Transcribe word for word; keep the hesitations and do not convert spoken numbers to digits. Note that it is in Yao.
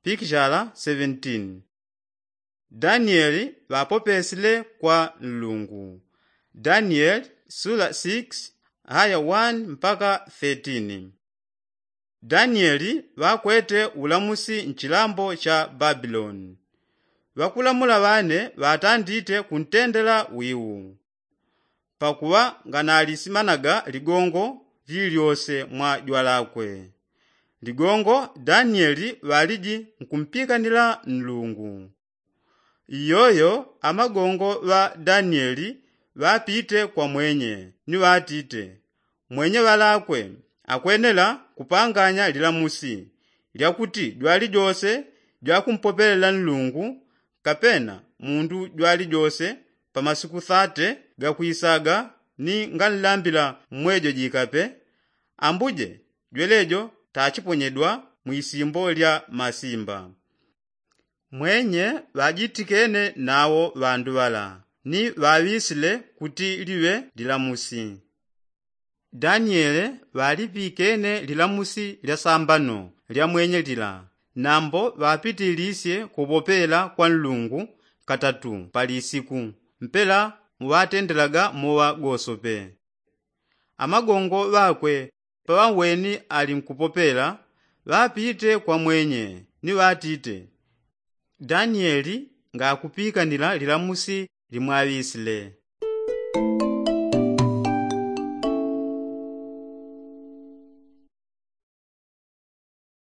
pikishala seventeen. Danieli ŵapopesile kwa nlungu. Danieli sula six aya one mpaka thirteen. Danieli ŵakwete ulamusi nchilambo cha babiloni. Ŵakulamula ŵane ŵatandite kuntendela wiu. Pakuŵa nganalisimanaga ligongo lilyose mwa jwalakwe. Ligongo danieli ŵaliji nkumpikanila nlungu. Iyoyo amagongo ŵa danieli ŵapite kwa mwenye ni ŵatite, mwenye ŵalakwe akwenela kupanganya lilamusi lyakuti jwalijose jwakumpopelela nlungu, kapena mundu jwalijose pa masiku thate gakwisaga ni nganlambila mmwejo jikape, ambuje jwelejo tachiponyedwa mwisimbo lya masimba. Mwenye ŵajitikene nawo ŵandu ŵala ni ŵaŵisile kuti liŵe lilamusi. Daniele ŵalipikene lilamusi lya sambano lya mwenye lila, nambo ŵapitilisye kuŵopela kwa nlungu katatu pa lisiku mpela muŵatendelaga moŵa gosope. Amagongo ŵakwe paŵaweni ali nkupopela, ŵapite kwa mwenye ni ŵatite, danieli ngakupikanila lilamusi limwaŵisile.